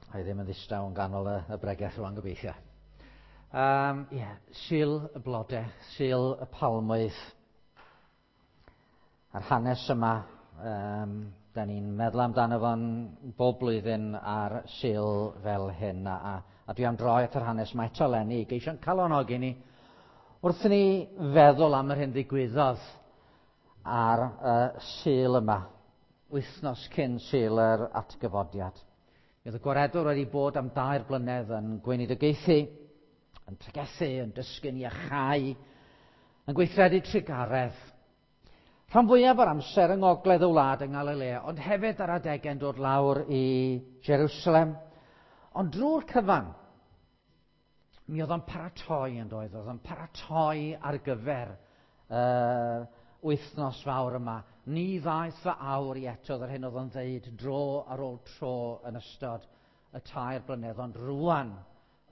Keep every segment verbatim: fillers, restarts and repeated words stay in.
A i ddim yn ddistaw yn ganol y, y bregeth rwan gobeithio. Um, yeah, Sul y blodau, Sul y palmwydd. A'r hanes yma, um, da ni'n meddwl amdano fo'n bob blwyddyn ar Sul fel hyn. A, a, a dwi am droi at yr hanes yma eto eleni i geisio'n calonogi ni wrth i ni feddwl am yr hyn ddigwyddodd ar uh, Sul yma, wythnos cyn Sul yr atgyfodiad. Mi oedd y Gwaredwr wedi bod am dair blynedd yn gweinidogaethu, yn pregethu, yn dysgu'n iachau, yn gweithredu trugaredd. Rhan fwyaf o'r amser yng ngogledd y wlad yng Nghalilea, ond hefyd ar adegau'n dod lawr i Jerusalem. Ond drwy'r cyfan, mi oedd o'n paratoi yn doedd, oedd o'n paratoi ar gyfer uh, wythnos fawr yma. Ni ddaeth fy awr i eto, yr hyn oedd o'n ddeud dro ar ôl tro yn ystod y tair blynedd, ond rwan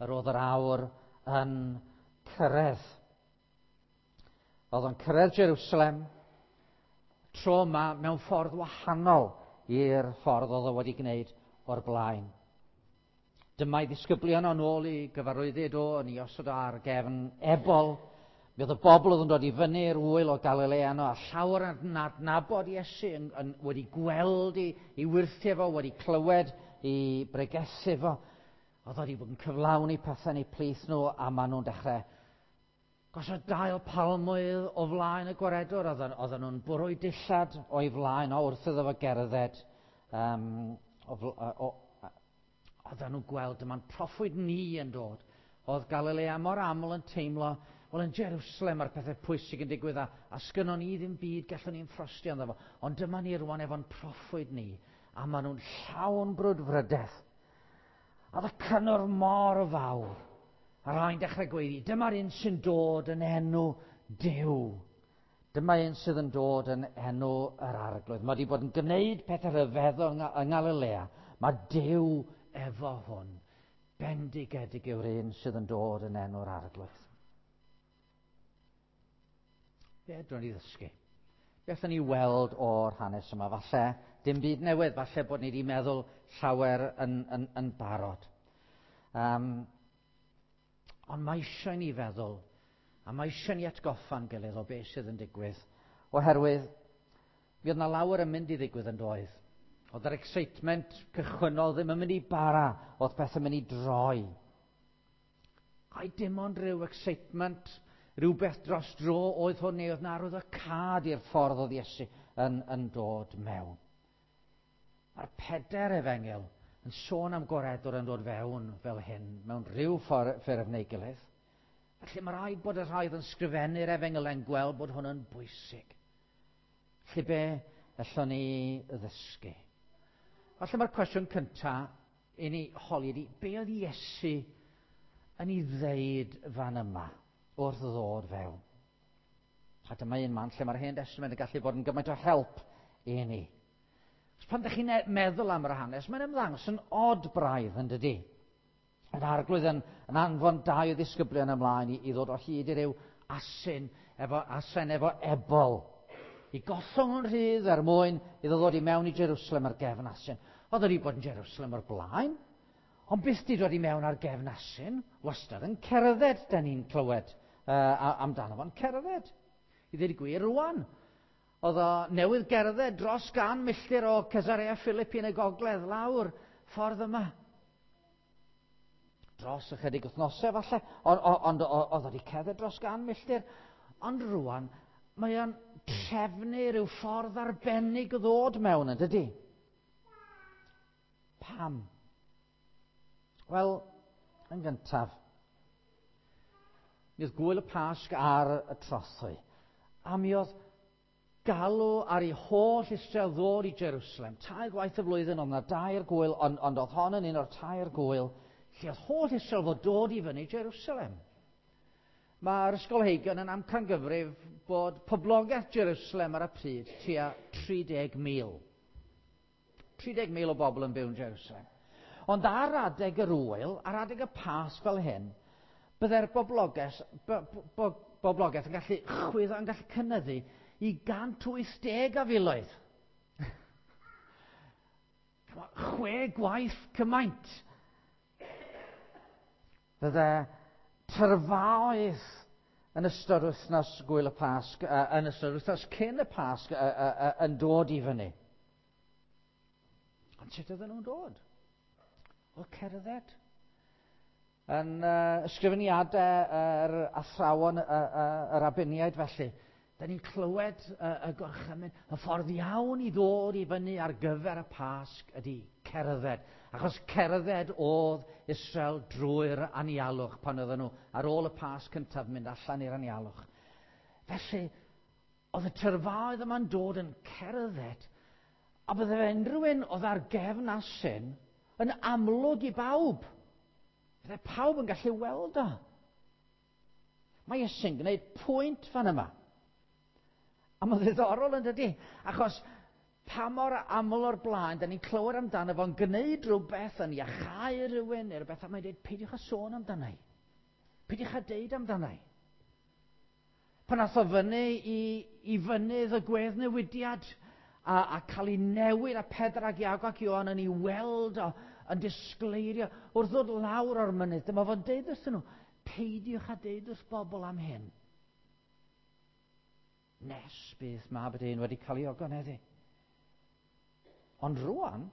yr oedd yr awr yn cyrraedd. Oedd o'n cyrraedd Jerusalem, tro yma mewn ffordd wahanol i'r ffordd oedd o wedi gwneud o'r blaen. Dyma'i ddisgyblion o'n ôl i gyfarwyddyd o, yn ei osod ar gefn ebol. Mi oedd y bobl oedd yn dod i fyny'r ŵyl o Galilea yno, a llawer yn adnabod Iesu, yn, yn, wedi gweld i, i wyrthiau fo, wedi clywed i bregethu fo. Oedd wedi bod yn cyflawni pethau yn eu plith nhw, a maen nhw'n dechrau gosod dail palmwydd o flaen y Gwaredwr. Oedden nhw'n bwrw dillad o'i flaen o wrth iddo fo gerdded. Um, o, o, oedden nhw'n gweld dyma'n proffwyd ni yn dod. Oedd Galilea mor aml yn teimlo, wel, yn Jerusalem mae'r pethau pwysig yn digwydd, a, a sgynnon ni ddim byd gallwn ni'n ffrostio ynddo fo. Ond dyma ni rwan efo'n proffwyd ni, a maen nhw'n llawn brwdfrydedd. A oedd y cynnwrf mor fawr. A rhai'n dechrau gweiddi, dyma'r un sy'n dod yn enw Duw. Dyma un sydd yn dod yn enw yr Arglwydd. Mae wedi bod yn gwneud pethau rhyfeddol yng Nghalilea. Mae Duw efo hwn. Bendigedig yw'r un sydd yn dod yn enw'r Arglwydd. Be fedrwn ni ddysgu? Beth ni weld o'r hanes yma? Falle dim byd newydd, falle bod ni wedi meddwl llawer yn, yn, yn barod. Um, ond mae eisiau ni feddwl, a mae eisiau ni atgoffa'n gilydd o beth sydd yn digwydd, oherwydd mi oedd yna lawer yn mynd i ddigwydd yn doedd. Oedd yr excitement cychwynnol ddim yn mynd i bara, oedd pethau'n mynd i droi. Ai dim ond rhyw excitement, rhywbeth dros dro oedd hwn, neu oedd na arwyddocâd i'r ffordd oedd Iesu yn, yn dod mewn. Mae'r pedair efengyl yn sôn am Gwaredwr yn dod fewn fel hyn, mewn rhyw ffurf neu gilydd. Felly mae rhaid bod y rhai oedd yn sgrifennu'r efengylau'n gweld bod hwn yn bwysig. Felly be allwn ni ddysgu? Falle mae'r cwestiwn cyntaf i ni holi ydi, be oedd Iesu yn ei ddeud fan yma wrth ddod fewn? A dyma un man lle mae'r Hen Testament yn gallu bod yn gymaint o help i ni. Pan ydych chi'n meddwl am yr hanes, mae'n ymddangos yn od braidd, yn dydi? Yr Arglwydd yn, yn anfon dau o ddisgyblion ymlaen i, i ddod o hyd i ryw asyn efo, asen efo ebol. I gollwng yn rhydd er mwyn iddo ddod i mewn i Jerusalem ar gefn asyn. Oedd wedi bod yn Jerusalem o'r blaen, ond byth di dod i mewn ar gefn asyn, wastad yn cerdded, da ni'n clywed uh, amdano fo'n cerdded. I ddweud y gwir rwan, oedd o newydd gerdded dros gan milltir o Caesarea Philippi yn y gogledd lawr ffordd yma. Dros ychydig wythnosau falle, ond on, on, oedd o wedi cerdded dros gan milltir. Ond rwan, mae o'n trefnu rhyw ffordd arbennig o ddod mewn, yn dydi? Pam? Wel, yn gyntaf, mi oedd gwyl y Pasg ar y trothwy, a mi oedd galw ar ei holl Israel ddod i Jerusalem. Tair gwaith y flwyddyn, oedd yna dair gwyl, ond, ond oedd hon yn un o'r tair gwyl, lle oedd holl Israel fod dod i fyny Jerusalem. Mae'r ysgolheigion yn amcangyfrif bod poblogaeth Jerusalem ar y pryd tua tri deg mil. tri deg mil o bobl yn byw yn Jerusalem. Ond ar adeg yr ŵyl, ar adeg y Pasg fel hyn, byddai'r boblogaeth, bo, bo, boblogaeth yn gallu chwyddo, yn gallu cynyddu i gant wyth deg a filoedd. Chwe gwaith cymaint. Fydde tyrfaoedd yn ystod wythnos gwyl y Pasg, uh, yn ystod wythnos cyn y Pasg, uh, uh, uh, yn dod i fyny. Ond sut oedden nhw'n dod? Wel, cerdded. Yn uh, ysgrifeniadau yr athrawon, uh, uh, yr abiniaid felly, da ni'n clywed uh, y gorchymyn, y ffordd iawn i ddod i fyny ar gyfer y Pasg ydy cerdded. Achos cerdded oedd Israel drwy'r anialwch pan oedden nhw ar ôl y Pasg cyntaf mynd allan i'r anialwch. Felly, oedd y tyrfaoedd yma'n dod yn cerdded, a bydde unrhyw un oedd ar gefn asyn yn amlwg i bawb. Bydde pawb yn gallu weld o. Mae Iesu'n gwneud pwynt fan yma. A mae'n ddiddorol yn dydy, achos pa mor aml o'r blaen, da ni'n clywed amdano fo'n gwneud rhywbeth yn iachau rhywun neu rhywbeth, a mae'n dweud, peidiwch â sôn amdano i. Peidiwch â deud amdano i. Pan ath o fyny i, i fynydd y gweddnewidiad a, a cael ei newid a Pedr ac Iago ac Ioan yn ei weld o, yn disgleirio wrth ddod lawr o'r mynydd, dyma fo'n deud wrthyn nhw, peidiwch â deud wrth bobl am hyn. Nes bydd Mab y Dyn wedi cael ei ogoneddu. Ond rwan,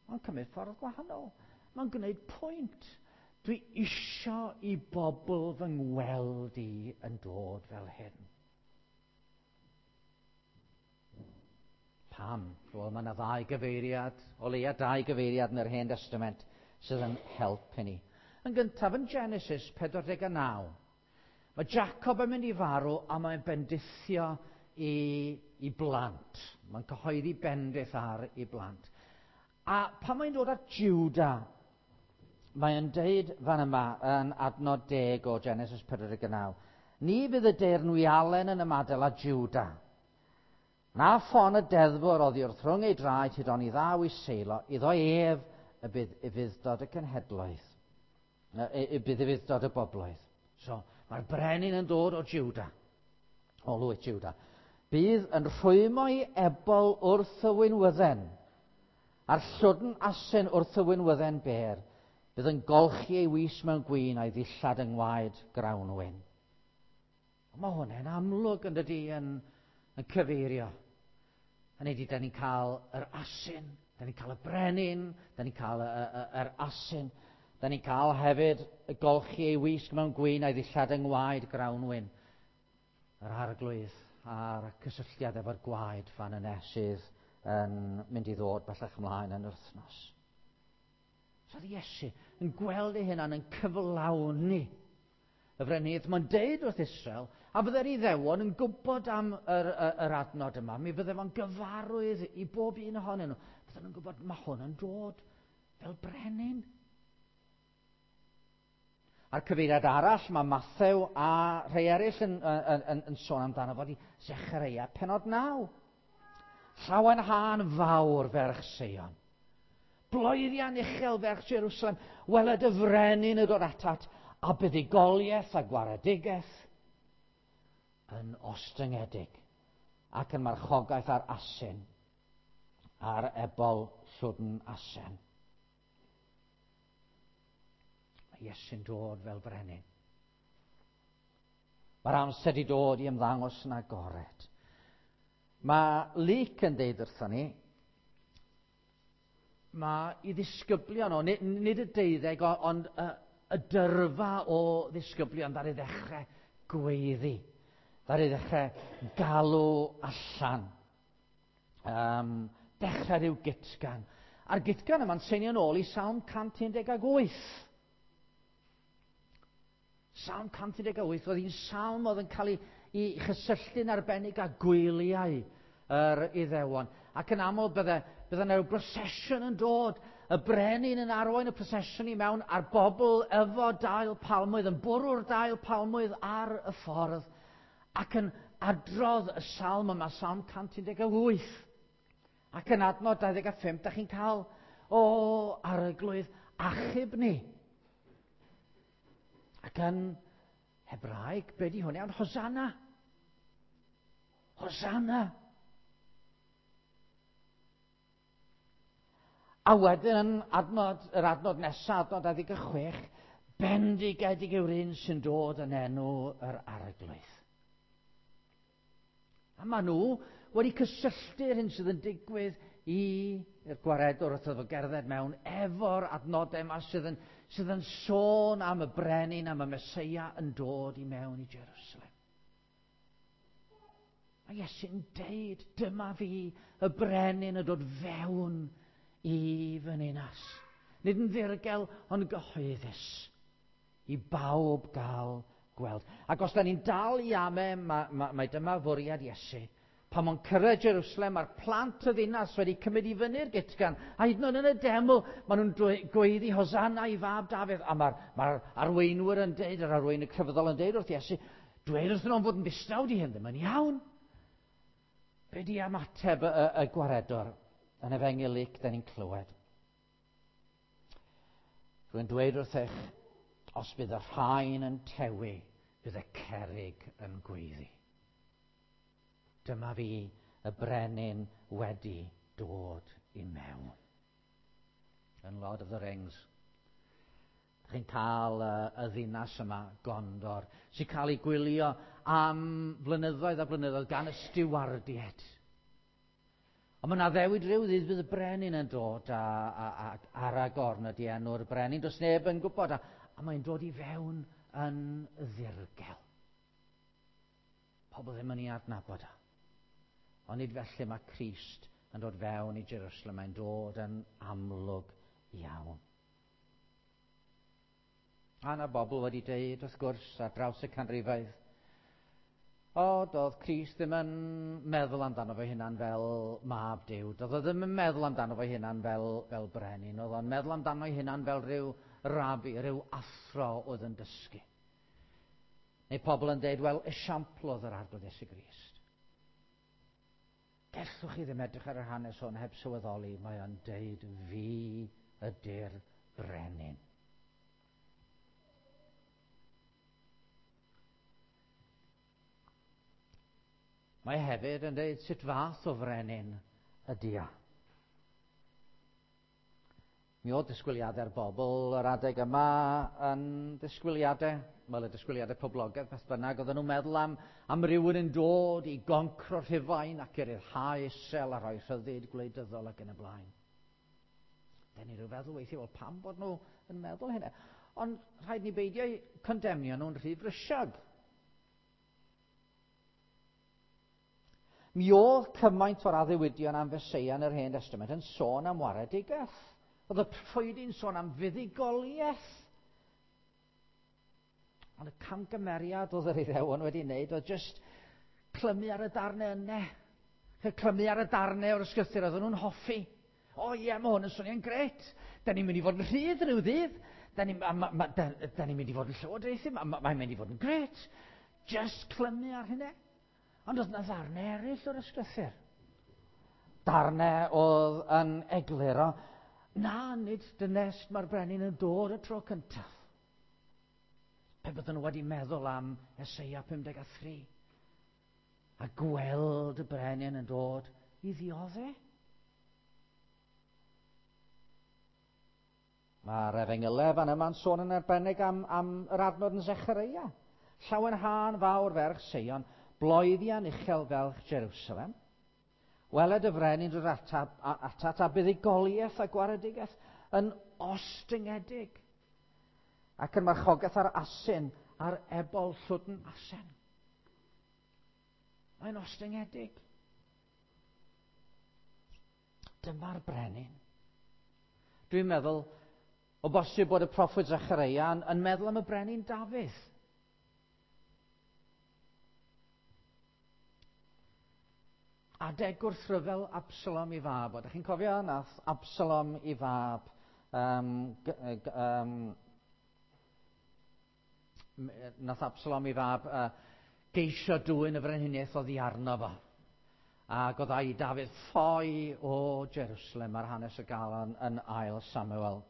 mae'n cymryd ffordd gwahanol. Mae'n gwneud pwynt. Dwi isio i bobl fy ngweld i yn dod fel hyn. Pam? Wel, mae yna ddau gyfeiriad, o leia dau gyfeiriad yn yr Hen Testament sydd yn help i ni. Yn gyntaf, yn Genesis pedwar deg naw, mae Jacob yn mynd i farw a mae'n bendithio i, i blant. Mae'n cyhoeddi bendith ar i blant. A pan mae'n dod at Juda, mae'n deud fan yma yn adnod deg o Genesis pedwar deg naw, ni fydd y deyrnwialen yn ymadael â Juda. Na ffon y deddfwr oddi wrth rhwng ei draed hyd oni ddaw i seilo, iddo ef y bydd ufudd-dod y cenhedloedd, y bydd ufudd-dod y bobloedd. So, mae'r brenin yn dod o Juda, o lwyth Juda. Bydd yn rhwymo ei ebol wrth y winwydden, a'r llwdn asyn wrth y winwydden ber. Bydd yn golchi ei wys mewn gwin a'i ddillad yng ngwaed grawnwin. Mae hwnna'n amlwg yn dydy yn, yn cyfeirio. Hynny ydy, da ni'n cael yr asyn, da ni'n cael y brenin, da ni'n cael y, y, yr asyn, da ni'n cael hefyd y golchi ei wisg mewn gwin a'i ddillad yng ngwaed grawnwin. Yr arglwydd a'r cysylltiad efo'r gwaed fan yna sydd yn mynd i ddod bellach ymlaen yn yr wythnos. So oedd Iesu yn gweld ei hunan yn cyflawni y frenhiniaeth. Mae'n deud wrth Israel, a fydde'r Iddewon yn gwybod am yr, yr, yr adnod yma, mi fydde fo'n gyfarwydd i bob un ohonyn nhw. Fydden nhw'n gwybod, mae hwn yn dod fel brenin. A'r cyfeiriad arall, mae Mathew a rhai eraill yn, yn, yn, yn sôn amdano fod i Zechareia penod naw. Llawenhân fawr ferch Seion. Bloeddian uchel ferch Jerusalem, weled y frenin yn dod atat, a buddugoliaeth a gwaredigaeth yn ostyngedig ac yn marchogaeth ar asyn, ar ebol llwdn asen. Mae Iesu'n dod fel brenin. Mae'r amser wedi dod i ymddangos yn agored. Mae Luc yn deud wrthon ni, mae i ddisgyblion o, nid, nid y deuddeg, ond y, y dyrfa o ddisgyblion ddaru ddechrau gweiddi, ddaru ddechrau galw allan, um, dechrau rhyw gytgan. A'r gytgan yma'n seinio nôl i Salm cant un deg wyth. Salm cant un deg wyth oedd un salm oedd yn cael ei, ei chysylltu'n arbennig â gwyliau yr Iddewon. Ac yn aml bydde, bydde yna rhyw procession yn dod, y brenin yn arwain y procession i mewn, a'r bobl efo dail palmwydd, yn bwrw'r dail palmwydd ar y ffordd, ac yn adrodd y salm yma, Salm cant un deg wyth. Ac yn adnod dau ddeg pump, da chi'n cael, o, arglwydd, achub ni. Ac yn Hebraeg, be di hwnna? Ond Hosanna. Hosanna. A wedyn yn adnod, yr adnod nesaf, adnod dau ddeg chwech, Bendigedig yw'r un sy'n dod yn enw yr Arglwydd. A maen nhw wedi cysylltu'r hyn sydd yn digwydd i'r gwaredwr wrth iddo gerdded mewn efo'r adnodau yma sydd yn, sydd yn sôn am y brenin, am y Meseia yn dod i mewn i Jerusalem. Mae Iesu'n deud, dyma fi, y brenin yn dod fewn i fy ninas. Nid yn ddirgel, ond gyhoeddus i bawb gael gweld. Ac os da ni'n dal i ame, mae, mae, mae dyma fwriad Iesu. Pan mae'n cyrraedd Jerusalem, mae'r plant y ddinas wedi cymryd i fyny'r gytgan. A hyd yn oed yn y deml, maen nhw'n gweiddi Hosanna i fab Dafydd. A mae'r mae arweinwyr yn deud, yr arweinwyr crefyddol yn deud wrth Iesu, dweud wrthyn nhw'n fod yn ddistaw, di hyn ddim yn iawn. Be di ymateb y, y, y gwaredwr yn Efengyl Luc, da ni'n clywed? Rwy'n dweud wrthych, os bydd y rhain yn tewi, bydd y cerrig yn gweiddi. Dyma fi, y brenin wedi dod i mewn. Yn Lord of the Rings, chi'n cael y, y ddinas yma, Gondor, sy'n cael ei gwylio am flynyddoedd a blynyddoedd gan y stiwardiaid. Ond mae yna addewid rhyw ddydd bydd y brenin yn dod a, a, a Aragorn ydy enw'r brenin, does neb yn gwybod, a, a mae'n dod i fewn yn ddirgel. Pobl ddim yn ei adnabod o. Ond nid felly mae Crist yn dod fewn i Jerusalem, mae'n dod yn amlwg iawn. A yna bobl wedi deud, wrth gwrs, ar draws y canrifoedd, o, doedd Crist ddim yn meddwl amdano fe hunan fel mab Duw. Doedd o ddim yn meddwl amdano fe hunan fel, fel brenin. Oedd o'n meddwl amdano ei hunan fel rhyw rabi, rhyw athro oedd yn dysgu. Neu pobl yn deud, wel, esiampl oedd yr Arglwydd Iesu Grist. Gellwch chi ddim edrych ar yr hanes hwn heb sylweddoli, mae o'n deud, fi ydy'r brenin. Mae hefyd yn dweud sut fath o frenin ydy o. Mi oedd disgwyliadau'r bobl yr adeg yma yn disgwyliadau, wel y disgwyliadau poblogaidd beth bynnag, oedden nhw'n meddwl am, am rywun yn dod i goncro Rhufain ac i ryddhau Israel a rhoi rhyddid gwleidyddol ac yn y blaen. Den ni rhyw feddwl weithiau, wel pam bod nhw yn meddwl hynna? Ond rhaid ni beidio condemnio nhw'n rhy frysiog. Mi oedd cymaint o'r addewidion am Feseia yn yr Hen Testament yn sôn am waredigaeth. Oedd y proffwydi'n sôn am fuddugoliaeth. Ond y camgymeriad oedd yr Iddewon wedi wneud oedd jyst clymu ar y darnau yna. Clymu ar y darnau o'r ysgrythur oedden nhw'n hoffi. O ie, mae hwn yn swnio'n gret. Da ni'n mynd i fod yn rhydd rhyw ddydd. Da ni'n ni mynd i fod yn llywodraethu. Mae'n mynd i fod yn gret. Jyst clymu ar hynny. Ond oedd yna ddarnau eraill o'r ysgrythur. Darnau oedd yn egluro, na, nid dynest mae'r brenin yn dod y tro cyntaf. Pe bydden nhw wedi meddwl am Eseia pum deg a thri a gweld y brenin yn dod i ddioddef. Mae'r Efengylau fan yma'n sôn yn arbennig am, am yr adnod yn Zechareia. Llawenhân fawr ferch Seion, bloeddian uchel felch Jerusalem. Weled y frenin dod atat, atat a buddugoliaeth a gwaredigaeth yn ostyngedig ac yn marchogaeth ar asyn, ar ebol llwdn asen. Mae'n ostyngedig. Dyma'r brenin. Dwi'n meddwl, o bosib bod y proffwyd Zechareia yn, yn meddwl am y brenin Dafydd. Adeg gwrthryfel Absalom i fab. Ydych chi'n cofio nath Absalom i fab um, um, nath Absalom i fab uh, geisio dwyn y frenhiniaeth oddi arno fo. Ac oedd a'i Dafydd ffoi o Jerusalem ar hanes y galon yn ail Samuel.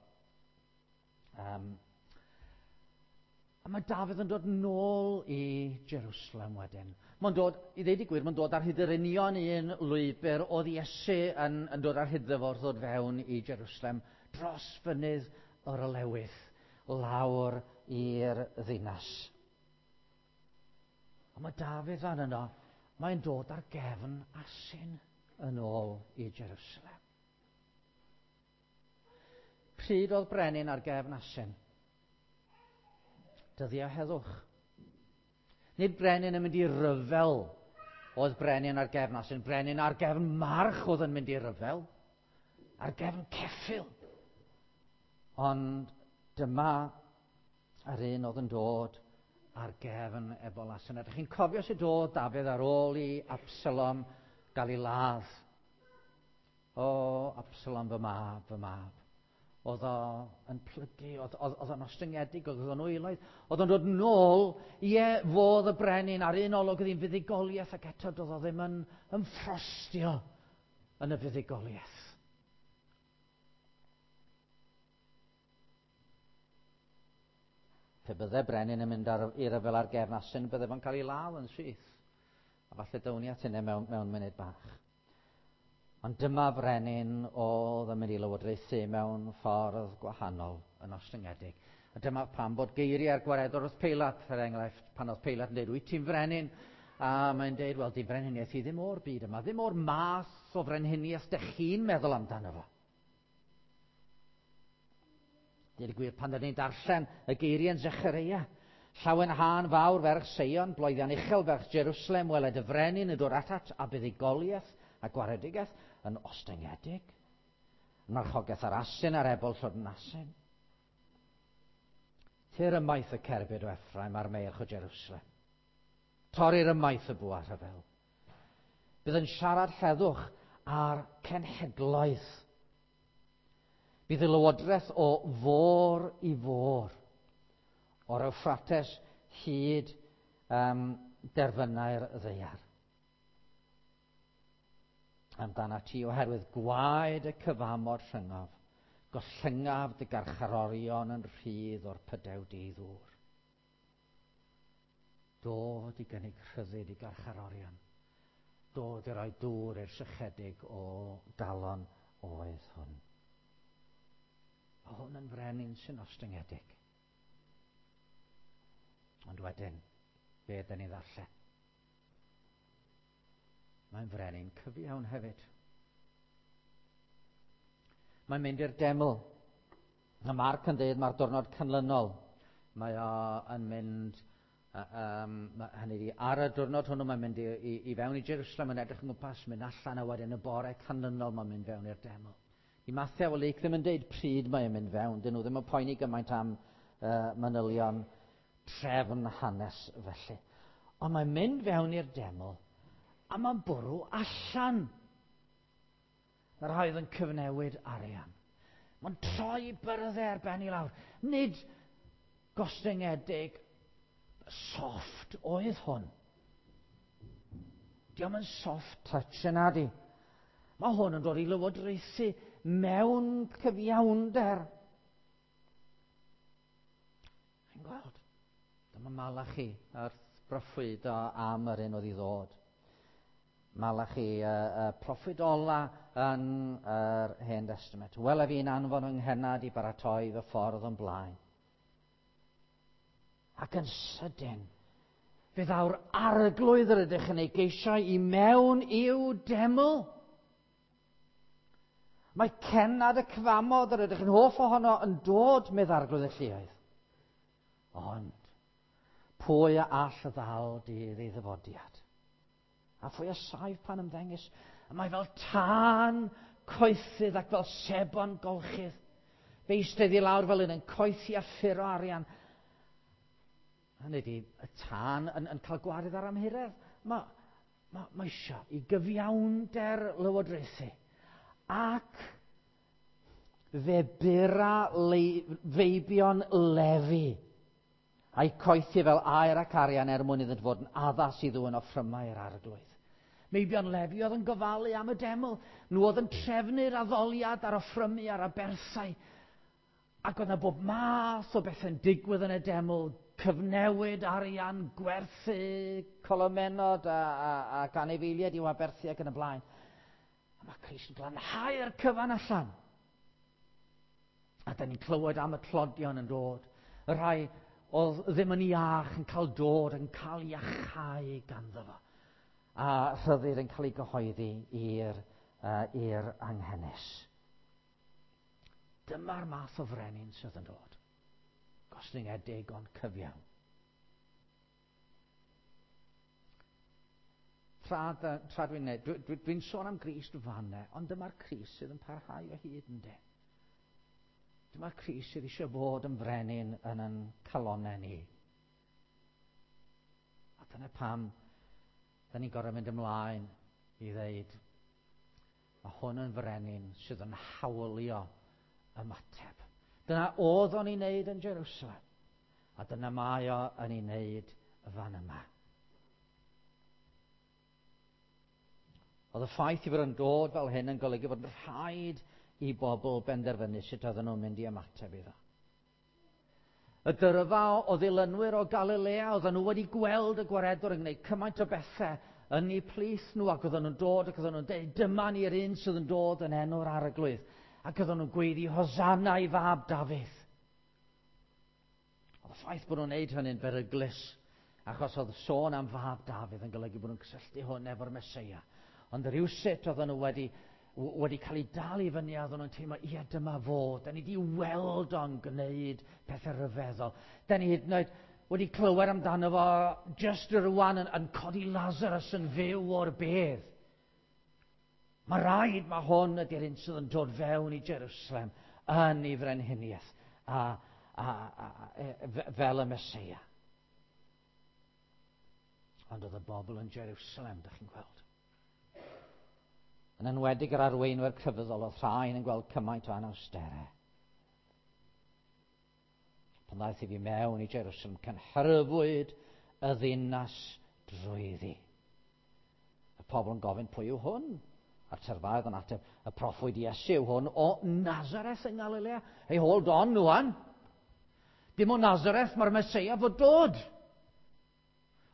Um, a mae Dafydd yn dod nôl i Jerusalem wedyn. Mae'n dod, i ddeud y gwir, mae'n dod ar hyd yr union un lwybr oedd Iesu yn, yn dod ar hyd fo wrth ddod fewn i Jerusalem dros fynydd yr Olewydd. lawr i'r ddinas. Ond mae Dafydd fan yno, mae'n dod ar gefn asyn yn ôl i Jerusalem. Pryd oedd brenin ar gefn asyn? Dyddiau heddwch. Nid brenin yn mynd i ryfel oedd brenin ar gefn asyn. Brenin ar gefn march oedd yn mynd i ryfel. Ar gefn ceffyl. Ond dyma yr un oedd yn dod ar gefn ebol asyn. Ydych chi'n cofio sut oedd Dafydd ar ôl i Absalom gael ei ladd? O, Absalom fy mab, fy mab. Oedd o yn plygu, oedd, oedd, oedd o'n ostyngedig, oedd o'n wyloedd. Oedd o'n dod nôl, ie, fodd y brenin ar un olwg oedd hi'n fuddugoliaeth ac eto doedd o ddim yn ymffrostio yn y fuddugoliaeth. Pe bydde brenin yn mynd ar, i ryfel ar gefn asyn, bydde fo'n cael ei law yn syth. A falle down ni at hynny mewn, mewn munud bach. Ond dyma brenin oedd yn mynd i lywodraethu mewn ffordd gwahanol yn ostyngedig. A dyma pam bod geiriau'r gwaredwr wrth Peilat, er enghraifft, pan oedd Peilat yn dweud, wyt ti'n frenin? A mae'n dweud, wel, di frenhiniaeth i ddim o'r byd yma, ddim o'r math o frenhiniaeth dych chi'n meddwl amdano fo. Dweud y gwir, pan dyn ni'n darllen y geiriau yn Zechareia, llawenhân fawr ferch Seion, bloeddian uchel ferch Jerusalem, weled y frenin yn dod atat a buddugoliaeth a gwaredigaeth yn ostyngedig. Marchogaeth ar asyn a'r ebol llwyd yn asyn. Tir ymaith y cerbyd o Ephraim a'r meirch o Jerusalem. Torrir ymaith y bwa rhyfel. Bydd yn siarad heddwch a'r cenhedloedd. Bydd y lywodraeth o fôr i fôr, o'r Euphrates hyd um, derfynau'r ddaear. Amdana ti oherwydd gwaed y cyfamod rhyngaf, gollyngaf dy garcharorion yn rhydd o'r pydew di-ddŵr. Dod i gynnig rhyddid i garcharorion. Dod i roi dŵr i'r sychedig o galon oedd hwn. Mae hwn yn frenin sy'n ostyngedig. Ond wedyn, be ydyn ni ddarllen? Mae'n frenin cyfiawn hefyd. Mae'n mynd i'r deml. Mae Marc yn dweud mae'r diwrnod canlynol. Mae o yn mynd, um, hynny ydi, ar y diwrnod hwnnw mae'n mynd i, i, i fewn i Jerusalem yn edrych yn gwmpas, mynd allan a wedyn y bore canlynol mae'n mynd fewn i'r deml. I Mathew a Luc ddim yn deud pryd mae'n mynd fewn, dyn nhw ddim yn poeni gymaint am uh, manylion trefn hanes felly. Ond mae'n mynd fewn i'r deml a mae'n bwrw allan. Mae'r rhai oedd yn cyfnewid arian. Mae'n troi byrddau ar ben i lawr. Nid gostyngedig soft oedd hwn. Dio'm yn soft touch yna di. Mae hwn yn dod i lywodraethu mewn cyfiawnder. Chi'n gweld? Dyma Malachi wrth broffwydo am yr un oedd i ddod. Malachi, y, y proffwyd ola yn yr Hen Testament. Wele fi'n anfon yng nghennad i baratoi fy ffordd o'n blaen. Ac yn sydyn, fe ddaw'r arglwydd yr ydych yn ei geisio i mewn i'w deml. Mae cennad y cyfamod yr ydych yn hoff ohono yn dod, medd arglwydd y lluoedd. Ond, pwy a all ddal dydd ei ddyfodiad? A phwy a saif pan ymddengys? A mae fel tân coethydd ac fel sebon golchydd. Fe eistedd i lawr fel un yn coethi a ffuro arian. Hynny ydi, y tân yn, yn cael gwared ar amhuredd. Mae, mae, mae eisiau i gyfiawnder lywodraethu. Ac fe bura le, feibion Lefi a'i coethi fel aur ac arian er mwyn iddynt fod yn addas i ddwyn offrymau i'r arglwydd. Meibion Lefi oedd yn gofalu am y deml. Nhw oedd yn trefnu'r addoliad a'r offrymu a'r aberthau. Ac oedd yna bob math o bethau'n digwydd yn y deml. Cyfnewid arian, gwerthu colomenod a, a, ac anifeiliaid i'w aberthu ac yn y blaen. A mae Crist yn glanhau'r cyfan allan. A da ni'n clywed am y tlodion yn dod. Y rhai oedd ddim yn iach yn cael dod, yn cael iachau ganddo fo. A rhyddid yn cael ei gyhoeddi i'r uh, i'r anghenus. Dyma'r math o frenin sydd yn dod. Gostyngedig ond cyfiawn. Tra, tra dwi'n neud, dwi, dwi, dwi'n sôn am Grist fanne, ond dyma'r Crist sydd yn parhau o hyd yn de. Dyma'r Crist sydd eisiau bod yn frenin yn yn calonnau ni. A dyna pam da ni'n gorfod mynd ymlaen i ddeud, mae hwn yn frenin sydd yn hawlio ymateb. Dyna oedd o'n ei wneud yn Jerusalem, a dyna mae o yn ei wneud fan yma. Oedd y ffaith i fod yn dod fel hyn yn golygu bod yn rhaid i bobl benderfynu sut oedden nhw'n mynd i ymateb iddo. Y dyrfa o ddilynwyr o Galilea, oedden nhw wedi gweld y gwaredwr yn gwneud cymaint o bethau yn eu plith nhw, ac oedden nhw'n dod ac oedden nhw'n dweud, dyma ni'r un sydd yn dod yn enw'r Arglwydd. Ac oedden nhw'n gweiddi, Hosanna i fab Dafydd. Oedd y ffaith bod nhw'n gwneud hynny'n beryglus, achos oedd sôn am fab Dafydd yn golygu bod nhw'n cysylltu hwn efo'r Meseia. Ond rhywsut oedden nhw wedi, wedi cael eu dal i fyny a oedden nhw'n teimlo, ie, dyma fo, da ni wedi weld o'n gwneud pethau rhyfeddol. Da ni hyd yn oed wedi clywed amdano fo just rwan yn, yn codi Lazarus yn fyw o'r bedd. Mae rhaid mae hwn ydy'r un sydd yn dod fewn i Jerusalem yn ei frenhiniaeth a, a, a, a, fel y Meseia. Ond oedd y bobl yn Jerusalem, da chi'n gweld. Yn enwedig yr arweinwyr crefyddol, oedd rhain yn gweld cymaint o anawsterau. Pan ddaeth i fi mewn i Jerusalem, cynhyrfwyd y ddinas drwyddi. Y pobl yn gofyn, pwy yw hwn? A'r tyrfaoedd yn ateb, y proffwyd Iesu yw hwn o Nazareth yng Ngalilea. Hey, hold on, rwan. Dim o Nazareth mae'r Meseia fod dod.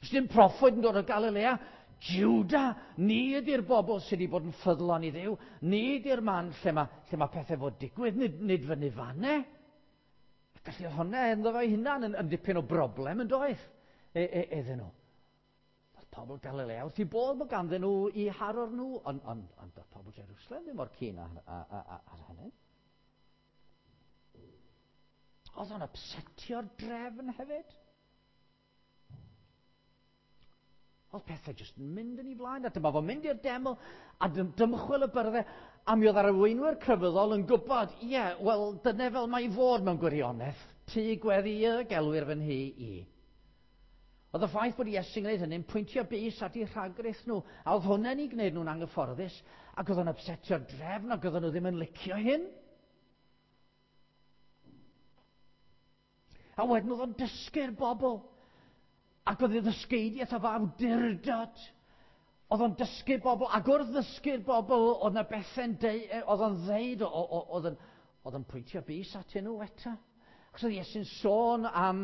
Os dim proffwyd yn dod o Galilea, Juda, ni ydy'r bobl sydd wedi bod yn ffyddlon i Dduw. Ni ydy'r man lle mae, lle mae pethau fod digwydd, nid, nid fyny fanne. Felly oedd hwnna ynddo fe hunan yn, yn dipyn o broblem yn doedd e, e, iddyn nhw. Oedd pobl Galilea wrth i bodd bod ganddyn nhw i haror nhw, ond on, on, oedd pobl Jerusalem ddim mor keen ar, ar, ar, ar hynny. Oedd o'n upsetio'r drefn hefyd. Oedd pethau jyst yn mynd yn ei flaen, a dyma fo'n mynd i'r deml, a dymchwel y byrddau, a mi oedd arweinwyr crefyddol yn gwybod, ie, yeah, wel, dyna fel mae i fod mewn gwirionedd, tŷ gweddi y gelwir fy nhŷ i. Oedd y ffaith bod Iesu'n gwneud hynny'n pwyntio bys at eu rhagrith nhw, a oedd hwnna'n ei gwneud nhw'n anghyfforddus, ac oedd o'n upsetio'r drefn, ac oedden nhw ddim yn licio hyn. A wedyn oedd o'n dysgu'r bobl. Ac oedd ei ddysgeidiaeth efo awdurdod. Oedd o'n dysgu bobl, ac wrth ddysgu'r bobl, oedd yna bethau'n deu, oedd o'n ddeud, oedd o'n, oedd o'n pwyntio bys atyn nhw eto. Achos oedd Iesu'n sôn am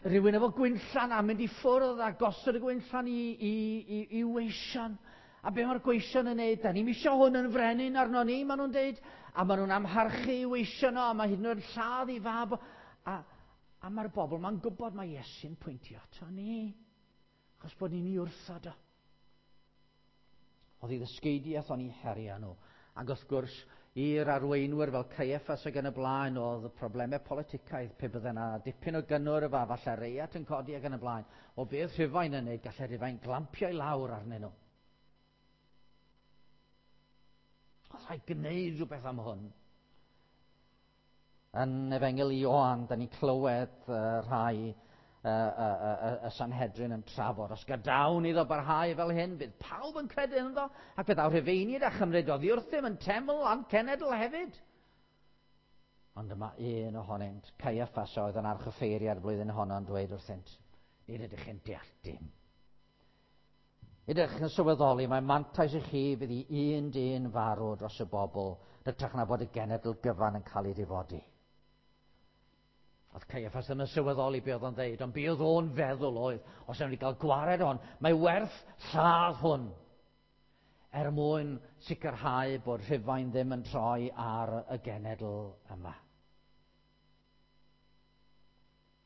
rhywun efo gwinllan a mynd i ffwrdd a gosod y gwinllan i, i, i, i weision. A be mae'r gweision yn neud? Da ni'm isio hwn yn frenin arno ni, maen nhw'n deud. A maen nhw'n amharchu i weision o, a mae hyd yn oed lladd i fab. A, A mae'r bobl ma'n gwybod mae Iesu'n pwyntio ato ni, achos bod ni'n ei wrthod o. Oedd ei ddysgeidiaeth o'n ei herio nhw. Ac wrth gwrs, i'r arweinwyr fel Caiaffas ac yn y blaen, oedd y problemau politicaidd, pe bydde yna dipyn o gynnwrf a falle reiat yn codi ac yn y blaen. O beth Rhufain yn neud, gallai Rhufain glampio i lawr arnyn nhw. Oedd rhaid gwneud rhywbeth am hwn. Yn Efengyl Ioan, da ni'n clywed uh, rhai uh, uh, uh, y Sanhedrin yn trafod. Os gadawn iddo barhau fel hyn, bydd pawb yn credu ynddo, ac bydd Rhufeiniaid a chymryd oddi wrthym yn teml a'n cenedl hefyd. Ond yma un ohonynt, Caiaffas oedd yn archoffeiriad blwyddyn honno yn dweud wrthynt, nid ydych chi'n deall dim. Nid ydych chi'n sylweddoli, mae mantais i chi fydd i un dyn farw dros y bobl, hytrach na bod y genedl gyfan yn cael ei difodi. Oedd Caiaffas ddim yn sylweddoli be oedd o'n ddeud, ond be oedd o'n feddwl oedd, os ewn ni gael gwared hwn, mae werth lladd hwn, er mwyn sicrhau bod Rhufain ddim yn troi ar y genedl yma.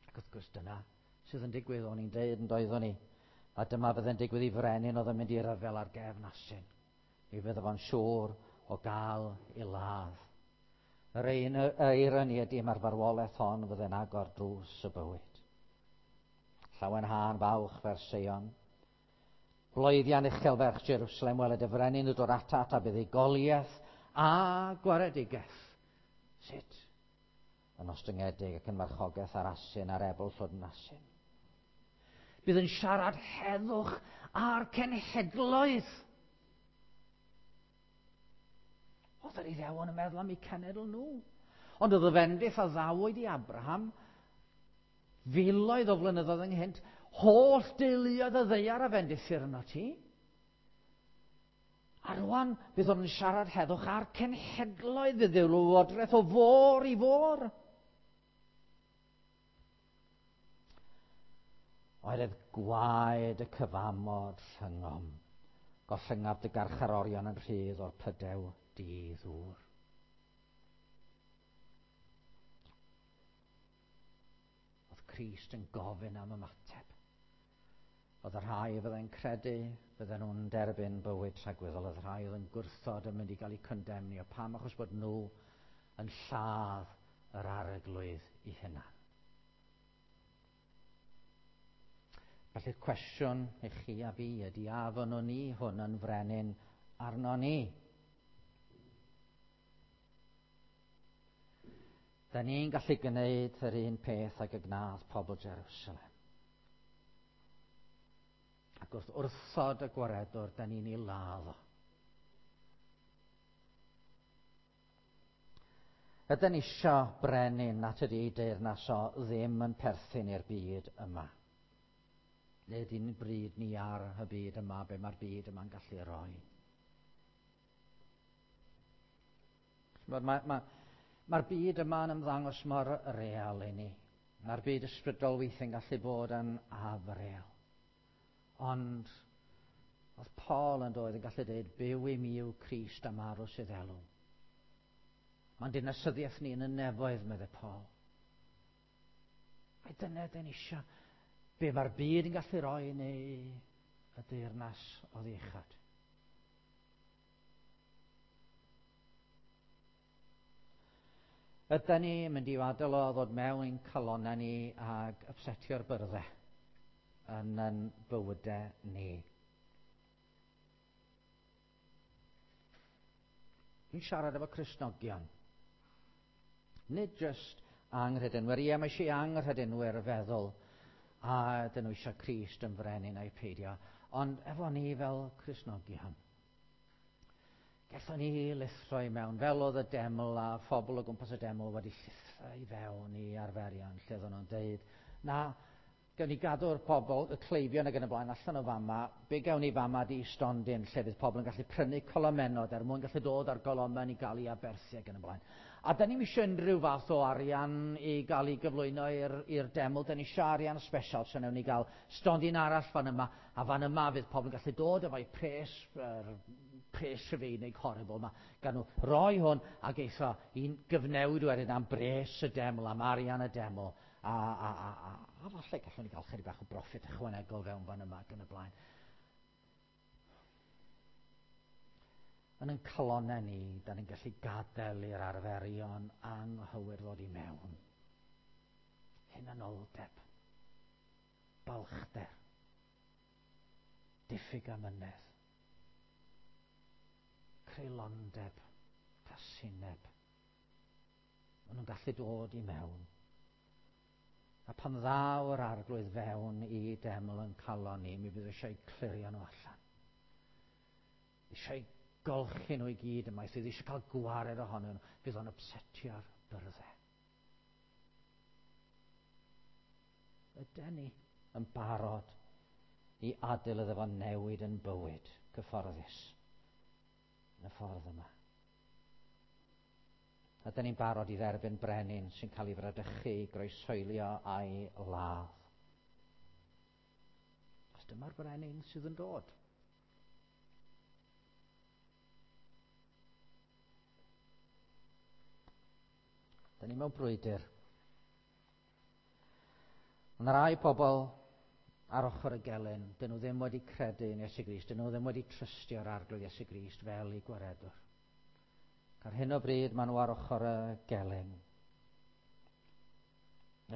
Ac wrth gwrs dyna sydd yn digwydd, o'n i'n deud yn doeddwn ni. A dyma fydde'n digwydd i frenin oedd yn mynd i ryfel ar gefn asyn. Mi fydde fo'n siŵr o gael ei ladd. Yr ein eironi ydy mae'r farwolaeth hon fydde'n agor drws y bywyd. Llawenhân fawch fer Seion. Bloeddian uchel ferch Jerusalem, weled y frenin yn dod atat a buddugoliaeth a gwaredigaeth. Sut? Yn ostyngedig ac yn marchogaeth ar asyn a'r ebol llwydn asyn. Bydd yn siarad heddwch a'r cenhedloedd. Oedd yr Iddewon yn meddwl am eu cenedl nhw. Ond oedd y fendith a ddawyd i Abraham filoedd o flynyddoedd ynghynt, holl deuluoedd y ddaear a fendithir yno ti. A rwan, bydd o'n siarad heddwch a'r cenhedloedd, fydd ei lywodraeth o fôr i fôr. Oherwydd gwaed y cyfamod rhyngom, gollyngaf dy garcharorion yn rhydd o'r pydew di-ddŵr. Oedd Crist yn gofyn am ymateb. Oedd y rhai fyddai'n credu, fydden nhw'n derbyn bywyd tragwyddol. Oedd y rhai oedd yn gwrthod yn mynd i gael eu condemnio. Pam? Achos bod nhw yn lladd yr arglwydd i hunan. Felly'r cwestiwn i chi a fi ydy, a fynnwn ni hwn yn frenin arno ni? Da ni'n gallu gwneud yr un peth ag y gnath pobl Jerusalem. Ac wrth wrthod y gwaredwr, da ni'n ei ladd o. Ydyn ni isio brenin at ydy ei deyrnas o ddim yn perthyn i'r byd yma. Neu ydy'n bryd ni ar y byd yma, be mae'r byd yma'n gallu roi. Mae'r ma, ma, mae'r byd yma'n ymddangos mor real i ni. Mae'r byd ysbrydol weithiau'n gallu bod yn afreal. Ond oedd Paul yn doedd yn gallu dweud, byw i mi yw Crist a marw sydd elw. Mae'n dinasyddiaeth ni yn y nefoedd, meddai Paul. Ai dyna dyn eisiau. Be mae'r byd yn gallu roi neu y deyrnas oddi uchod. Ydyn ni mynd i adael o ddod mewn i'n calonnau ni ag upsetio'r byrddau yn yn bywydau ni. Dwi'n siarad efo Cristnogion. Nid just anghredinwyr. Ie, mae eisiau anghredinwyr feddwl a dyn nhw eisiau Crist yn frenin a'i peidio. Ond efo ni fel Cristnogion, gallwn ni lithro i mewn, fel oedd y deml a phobl o gwmpas y deml wedi llithro i fewn i arferion, lle oedden nhw'n deud, na, gawn ni gadw'r pobl, y cleifion ac yn y blaen allan o fama, be gawn ni fama di stondin lle fydd pobl yn gallu prynu colomenod er mwyn gallu dod ar golomen i gael ei aberthu ac yn y blaen. A da ni'm eisiau unrhyw fath o arian i gael ei gyflwyno i'r deml, da ni eisiau arian special, so newn ni gael stondin arall fan yma, a fan yma fydd pobl yn gallu dod efo'i pres, er, pres Rhufeinig horrible yma, gan nhw roi hwn ac eitha i'n gyfnewid wedyn am bres y deml, am arian y deml, a, a, a, a, a falle gallwn ni gael chydig bach o broffit ychwanegol fewn fan yma ac yn y blaen. Yn ein calonnau ni, da ni'n gallu gadael i'r arferion anghywir ddod i mewn. Hunanoldeb, balchder, diffyg amynedd, creulondeb, casineb. Maen nhw'n gallu dod i mewn. A pan ddaw yr arglwydd fewn i deml yn calon ni, mi fydd eisiau clirio nhw allan. Eisiau golchi nhw i gyd yma, sydd eisiau cael gwared ohonyn nhw, fydd o'n upsetio'r byrddau. Ydyn ni yn barod i adael iddo fo newid yn bywyd cyfforddus yn y ffordd yma? Ydyn ni'n barod i dderbyn brenin sy'n cael ei fradychu, groeshoelio a'i ladd? Os dyma'r brenin sydd yn dod. Da ni mewn brwydr. Mae rai pobl ar ochr y gelyn, dyn nhw ddim wedi credu yn Iesu Grist, dyn nhw ddim wedi trystio'r Arglwydd Iesu Grist fel eu gwaredwr. Ar hyn o bryd maen nhw ar ochr y gelyn.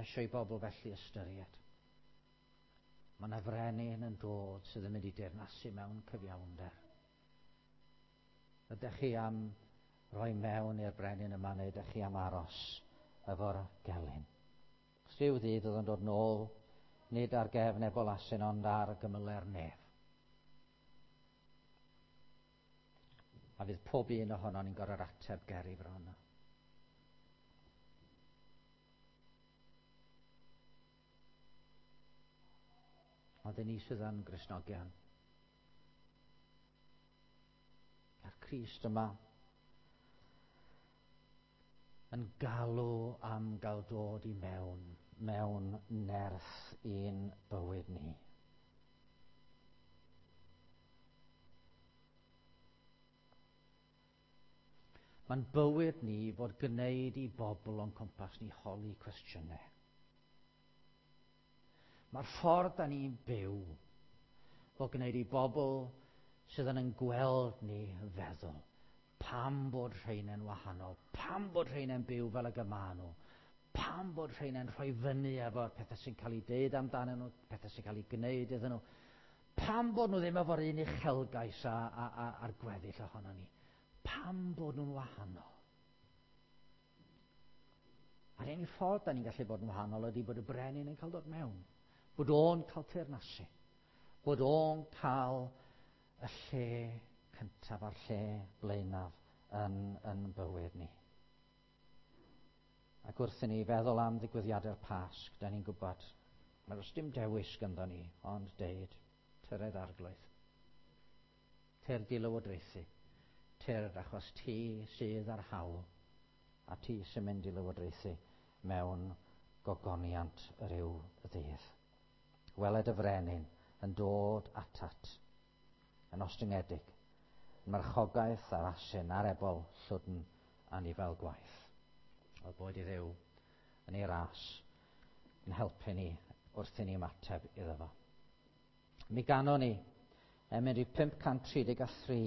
Eisiau i bobl felly ystyried. Mae yna frenin yn dod sydd yn mynd i deyrnasu mewn cyfiawnder. Ydych chi am roi mewn i'r brenin yma neu ydych chi am aros efo'r gelyn? Rhyw ddydd oedd yn dod nôl, nid ar gefn ebol asyn, ond ar gymyle'r nef. A fydd pob un ohonon ni'n gorfod ateb ger ei fron. Ond i ni sydd yn Gristnogion, a'r Crist yma yn galw am gael dod i mewn, mewn nerth i'n bywyd ni. Mae'n bywyd ni fod gwneud i bobl o'n cwmpas ni holi cwestiynau. Mae'r ffordd da ni'n byw fod gwneud i bobl sydd yn yn gweld ni feddwl pam bod rheina'n wahanol, pam bod rheina'n byw fel y gyma nhw, pam bod rheina'n rhoi fyny efo'r pethau sy'n cael eu deud amdanyn nhw, pethau sy'n cael eu gwneud iddyn nhw, pam bod nhw ddim efo'r un uchelgais a, a, a, a'r gweddill ohono ni, pam bod nhw'n wahanol. A'r unig ffordd da ni'n gallu bod yn wahanol ydy bod y brenin yn cael dod mewn, bod o'n cael teyrnasu, bod o'n cael y lle cyntaf a'r lle blaenaf yn, yn bywyd ni. Ac wrth i ni feddwl am ddigwyddiadau'r Pasg, da ni'n gwybod, mae does dim dewis ganddo ni, ond deud, tyredd Arglwydd. Tyrd i lywodraethu. Tyrd achos ti sydd ar hawl, a ti sy'n mynd i lywodraethu mewn gogoniant ryw ddydd. Weled y frenin yn dod atat, yn ostyngedig, yn marchogaeth a'r asyn a'r ebol llwdn anifail gwaith. Oedd boed i Dduw yn ei ras yn helpu ni wrth i ni ymateb iddo fo. Mi ganon ni emyn rhif pump cant tri deg a thri.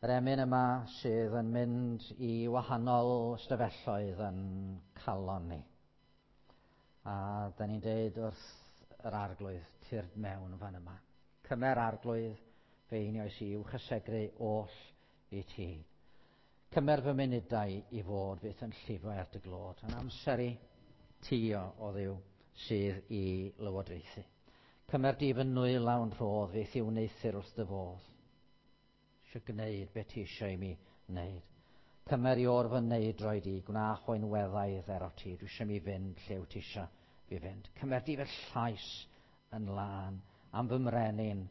Yr emyn yma sydd yn mynd i wahanol ystafelloedd yn calon ni. A da ni'n deud wrth yr Arglwydd, tyrd mewn fan yma. Cymer Arglwydd fe einioes i i'w chysegru oll i ti. Cymer fy munudau i fod fyth yn llifo er dy glod. Yn amser i ti o, o Dduw sydd i lywodraethu. Cymer di fy nwylawn rhodd fyth i wneuthur wrth dy fodd. Eisiau gwneud beth ti eisiau i mi wneud. Cymer i o'r fy neidroed i, gwna chwain weddaidd ero ti. Dwi eisiau mi fynd lle wyt ti eisiau fi fynd. Cymer di fy llais yn lân, am fy mrenin,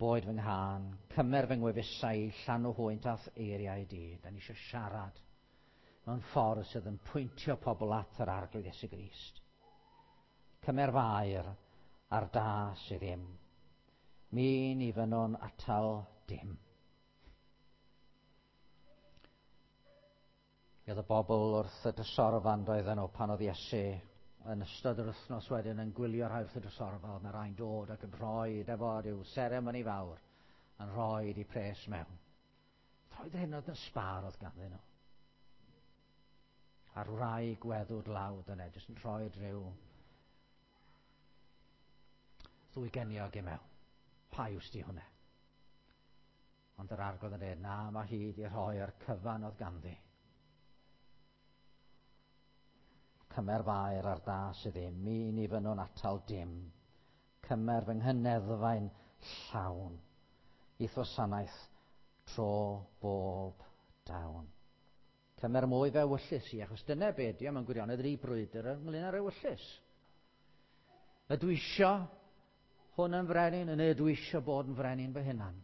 boed fy nghân. Cymer fy ngwefusau i, llanw hwynt a'th eiriau di. Da ni eisiau siarad mewn ffordd sydd yn pwyntio pobl at yr Arglwydd Iesu Grist. Cymer fair a'r da sydd ddim. Mi ni fynnwn atal dim. Mi oedd y bobl wrth y drysorfan doedden nhw pan oedd Iesu yn ystod yr wythnos wedyn yn gwylio rhai wrth y drysorfa, oedd yna rhai'n dod ac yn rhoi efo rhyw seremoni fawr yn rhoi i pres mewn. Roedd hyn oedd yn sbâr oedd ganddyn nhw. A'r wraig weddw dlawd yna, jyst yn rhoi rhyw ddwy geniog i mewn. Pa iws di hwnna? Ond yr Arglwydd yn dweud, na, mae hi wedi rhoi'r cyfan oedd ganddi. Cymer fair ar da sydd ddim, mi ni fynnwn atal dim. Cymer fy nghyneddfa'n llawn, i'th wasanaeth tro bob dawn. Cymer mwy fe ewyllys i, achos dyna be ydi o mewn gwirionedd, yr i brwydr ynglyn â'r ewyllys. Ydw isio hwn yn frenin, neu ydw isio bod yn frenin fy hunan?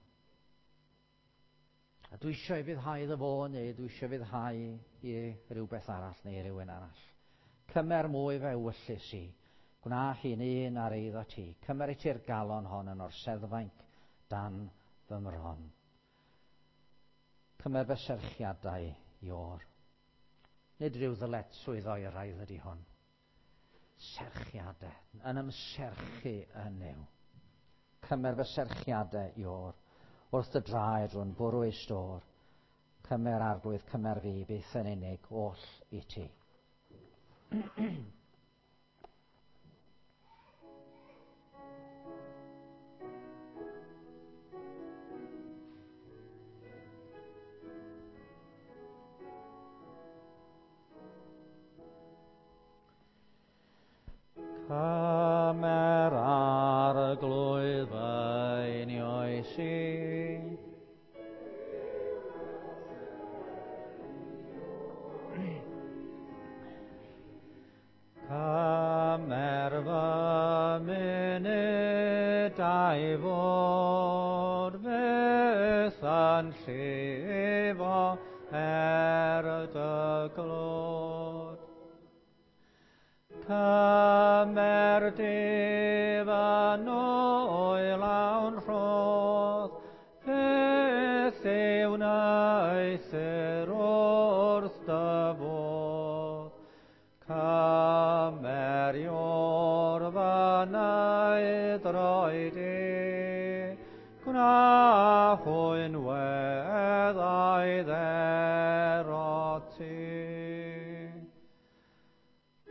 Ydw isio i fyddhau iddo fo, neu ydw isio fyddhau i rhywbeth arall neu rhywun arall? Cymer mwy fe ewyllys i, gwna hi'n un ar eiddo ti. Cymer i ti'r galon hon yn orseddfainc dan fy mron. Cymer fy serchiadau i o'r. Nid rhyw ddyletswydd oeraidd ydy hwn. Serchiadau, yn ymserchu yn Nuw. Cymer fy serchiadau i o'r, wrth dy draed rwy'n bwrw ei stôr. Cymer Arglwydd, cymer fi, byth yn unig, oll i ti. Cymer Arglwydd fy einioes i. Cymer fy munudau fod fyth yn llifo er dy glod. Cymer di fy nwyl awn rhodd, fyth i wneuthur wrth dy fodd. Cymer i'r fy neu di, gwna hwy'n weddau dderot ti.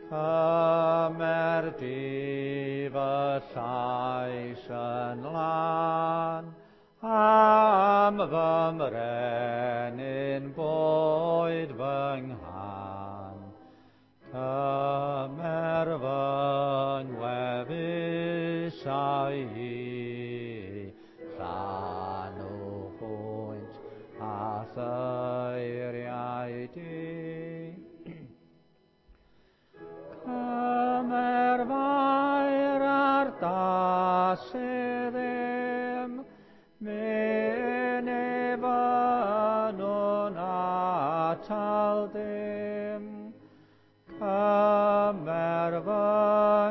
Cymer di fy llais yn lân, am fy mrenin boed fy nghân. Cymer fy ngwefusau i, llanw hwynt a thyriau di. Cymer fair ar das i ddim, myn i fynwn atal dim. Cymer fy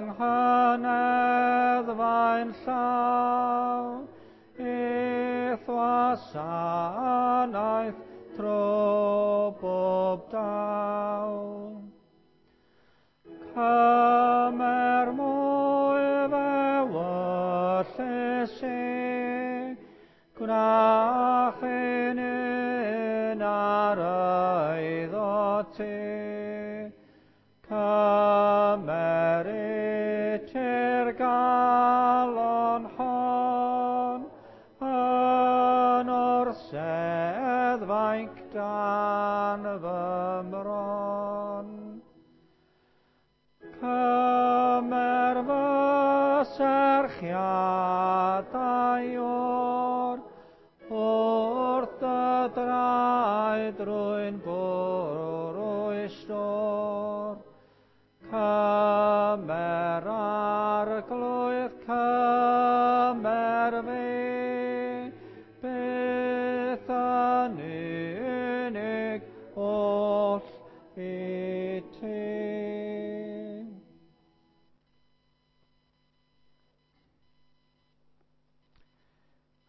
nghyneddfa'n llaw, i'th wasanaeth tro bob daw. Cymer mwy f'ewyllys i, gwna chi'n un ar eiddo ti. Cymer i ti'r galon hon, yn orsedd fainc dan fy mron. Cymer fy serchiadau o'r, wrth dy draed rwy'n bwrw ei stôr. Cymer Arglwydd, cymer fi, byth yn unig oll i ti.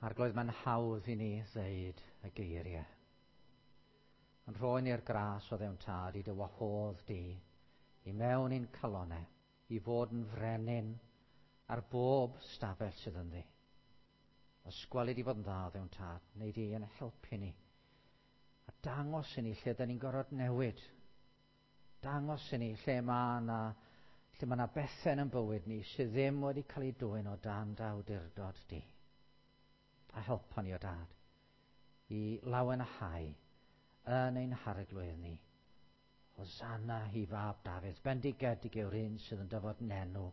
Arglwydd, mae'n hawdd i ni ddeud y geiriau. Yn rhoi ni'r gras o ddewn tad i dy wahodd di i mewn i'n calonau, i fod yn frenin ar bob stafell sydd ynddi. Os gweli di fod yn dda o ddewn tad, neu di yn helpu ni. A dangos i ni lle da ni'n gorfod newid. Dangos i ni lle mae yna lle mae yna bethau yn bywyd ni sydd ddim wedi cael ei dwyn o dan dy awdurdod di. A helpa ni o dad i lawenhau yn ein harglwydd ni. Hosanna i fab Dafydd, bendigedig yw'r un sydd yn dyfod yn enw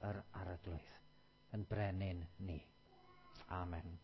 yr Arglwydd, yn brenin ni. Amen.